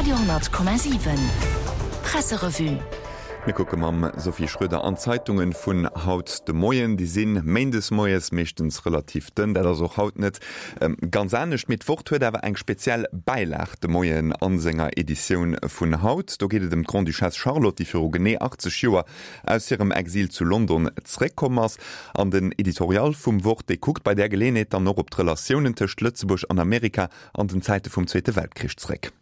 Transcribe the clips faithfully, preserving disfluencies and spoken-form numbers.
Radio honnert Komma siwen Presserevue. Mir kucke mam Sophie Schröder an d'Zeitungen vun haut de Moien. Déi si méindes moies meeschtens relativ dënn. Dat ass och haut net ganz anescht. Mee d'Wort huet awer eng speziell Bäilag de Moien a senger Editioun vun haut. Do geet et ëm d'Grande-Duchesse Charlotte, déi viru genee achtzeg Joer aus hirem Exil zu London zréckkomm ass. An den Editorial vum Wort, dee kuckt bei där Geleeënheet dann och op d'Relatiounen tëscht Lëtzebuerg an Amerika an den Zäite vum Zweete Weltkrich zréck.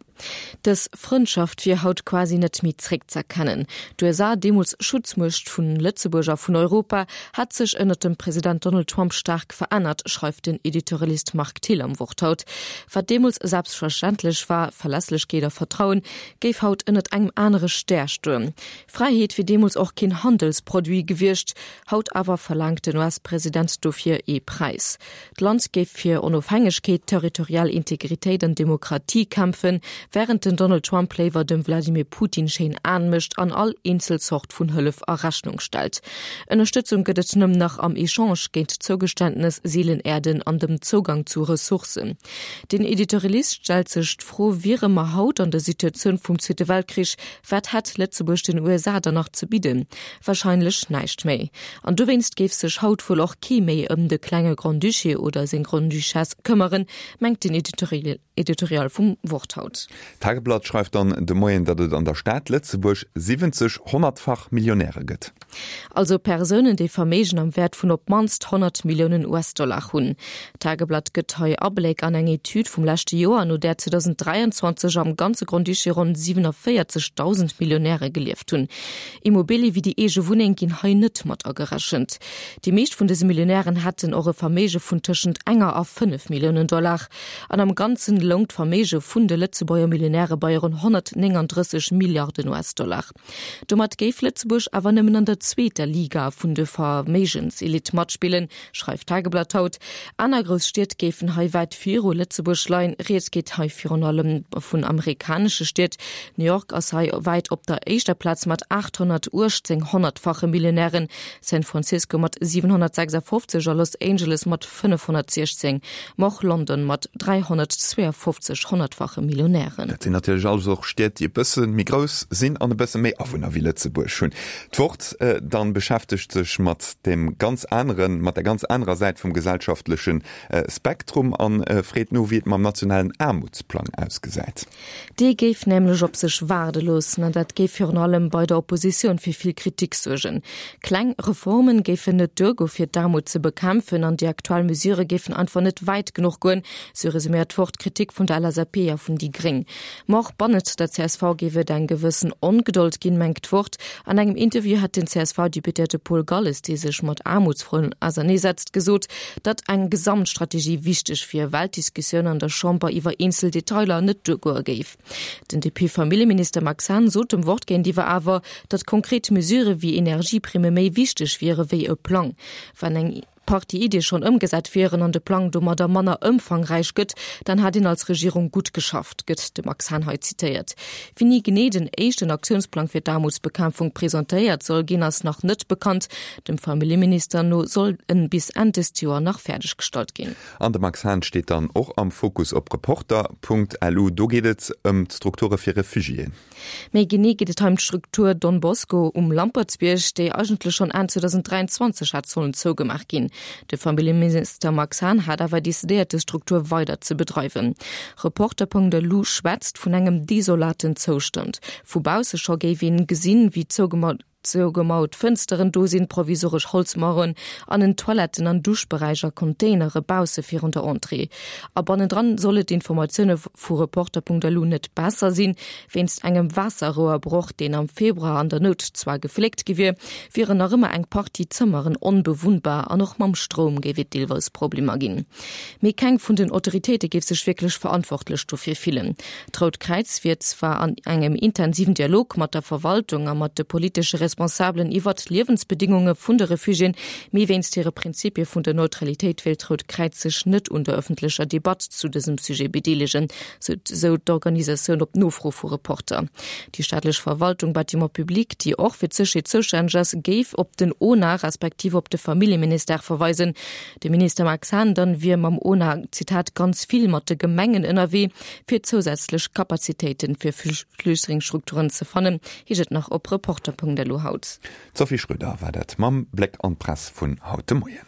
Dës Frëndschaft wier haut quasi net méi zréckz'erkennen. D'U S A, deemools Schutzmuecht vun Lëtzebuerg a vun Europa, hätt sech ënnert dem President Donald Trump staark verännert, schreift den Editorialist Marc Thill am Wort haut. Wat deemools selbstverständlech war, Verlässlechkeet a Vertrauen, géif haut ënnert engem anere Stär stoen. Fräiheet wier deemools och keen Handelsproduit gewiescht, haut awer verlaangt den U S-President dofir ee Präis. D'Land géif fir Onofhängegkeet, territorial Integritéit an Demokratie kämpfen, wärend den Donald Trump léiwer dem Vladimir Putin schéin Aen mécht an all eenzel Zort vun Hëllef a Rechnung stellt. Ënnerstëtzung gëtt et nëmmen nach am Echange géint Zougeständnes, Seelenerden an dem Zougang zu Ressourcen. Den Editorialist stellt sech d'Fro, Wiere mer haut an der Situatioun vum Zweete Weltkrich, wat hätt Lëtzebuerg den U S A dann nach ze bidden? Warscheinlech näischt méi. An dowéinst géif sech haut wuel och kee méi ëm de klenge Grand-Duché oder seng Grande-Duchesse këmmeren, mengt den Editorial vum Wort haut. D'Tageblatt schreift dann de Moien, datt et an der Stad Lëtzebuerg siwwenzeg honnertfach Millionäre gëtt. Also Persounen, déi Verméigen am Wäert vun op d'mannst honnert Milliounen U S-Dollar hunn. D'Tageblatt gëtt hei Abléck an eng Etüd vum leschte Joer, no där zweedausend dräianzwanzeg am ganze Grand-Duché ronn siewenundvierzigtausend Millionäre gelieft hunn. Immobilie wéi déi eege Wunneng ginn hei net mat agerechent. Déi meescht vun dëse Millionären hätten och e Verméige vun tëschent enger a fënnef Milliounen Dollar. An am Ganzen loung d'Verméige vun de Lëtzebuerger Millionäre bei ronn honnertnénganddrësseg Milliarden U S-Dollar. Domat géif Lëtzebuerg awer nëmmen an der zweeter Liga vun de Verméigenselite matspillen, schreift d'Tageblatt haut. Aner grouss Stied géifen hei wäit viru Lëtzebuerg leien. Rieds geet hei virun allem vun amerikanesche Stied. New York ass hei wäit op der éischter Plaz mat aathonnertuechtzéng honnertfache Millionären, San Francisco mat siwenhonnertsechsafofzeg a Los Angeles mat fënnefhonnertsiechzéng, ma och London mat dräihonnertzweeafofzeg honnertfache Millionären. Dat sinn natierlech alles och Stied, déi e bësse méi grouss sinn an e bësse méi Awunner wéi Lëtzebuerg hunn. D'Wort dann beschäftegt sech mat dem ganz aneren, mat der ganz anerer Säit vum gesellschaftleche Spektrum an freet no, wéi et mam nationalen Aarmutsplang ausgesäit. Dee géif nämlech op sech waarde loossen an dat géif virun allem bei der Oppositioun fir vill Kritik suergen. Kleng Reformen géifen net duergo fir d'Aarmut ze bekämpfen an déi aktuell Mesure géifen einfach net wäit genuch goen, sou resuméiert d'Wort d'Kritik vun der L S A P a vun déi Gréng. Ma och bannent der C S V géif et eng gewëssen Ongedold ginn, mengt d'Wort. An engem Interview hat den C S V-Deputéierte Paul Galles, dee sech mat Aarmutsfroen auserneesetzt, gesot, datt eng Gesamtstrategie wichteg wier, well d'Diskussioun an der Chamber iwwer eenzel Detailer net duergoe géif. Den D P-Familljeminister Max Hahn sot dem Wort géintiwwer awer, datt konkret Mesure wéi Energieprimme méi wichteg wiere wéi e Plang. Wann eng Partie Iddie schonn ëmgesat wieren an de Plang domadder manner ëmfangräich gëtt, dann hätt een als Regierung gutt geschafft, gëtt de Max Hahn hei zitéiert. Wéini genee den éischten Aktiounsplang fir d'Aarmutsbekämpfung presentéiert soll ginn, ass nach net bekannt. Dem Familljeminister no soll en bis Enn dëst Joer nach fäerdeggestallt ginn. An de Max Hahn steet dann och am Fokus op Reporter Punkt L U. Do geet et ëm d'Strukture fir Refugiéen. Méi genee geet et hei ëm d'Struktur Don Bosco um Lampertsbierg, déi eigentlech schonn Enn zweedausend dräianzwanzeg hätt sollen zougemaach ginn. De Familljeminister Max Hahn hat awer decidéiert, déi Struktur weider ze bedreiwen. Reporter Punkt L U schwätzt vun engem desolaten Zoustand. Vu bausse scho géif een gesinn, wéi zougemauert Fënsteren do sinn, provisoresch Holzmaueren an en Toiletten an Duschberäich a Containere bausse virun der Entrée. A bannendran soll et Informatioune vu Reporter Punkt L U net besser sinn. Wéinst engem Waasserrouerbroch, deen am Februar an der Nout zwar gefléckt gi wier, wieren nach ëmmer eng Partie Zëmmeren onbewunnbar an och mam Stroum géif et deelweis Problemer ginn. Mee keng vun den Autoritéite géif sech wierklech verantwortlech dofir fillen. D'Rout Kräiz wier zwar an engem intensiven Dialog mat der Verwaltung a mat de politesche Responsabelen iwwert d'Liewensbedingunge vun de Refugiéen, mee wéinst hire Prinzipie vun der Neutralitéit wéilt d'Rout Kräiz sech net un der ëffentlecher Debatt zu dësem Sujet bedeelegen, sou d'Organisatioun op Nofro vu Reporter. Déi staatlech Verwaltung Bâtiments publics, déi och fir d'Sécherheet zoustänneg ass, géif op den ona respektiv op de Familljeministère verweisen. De Minister Max Hahn dann wier mam ona, Zitat, ganz vill mat de Gemengen ënnerwee, fir zousätzlech Kapazitéiten fir Flüchtlingsstrukturen ze fannen, heescht et nach op Reporter.lu haut. D'Sophie Schröder war dat mam Bléck an d'Press vun haut de Moien.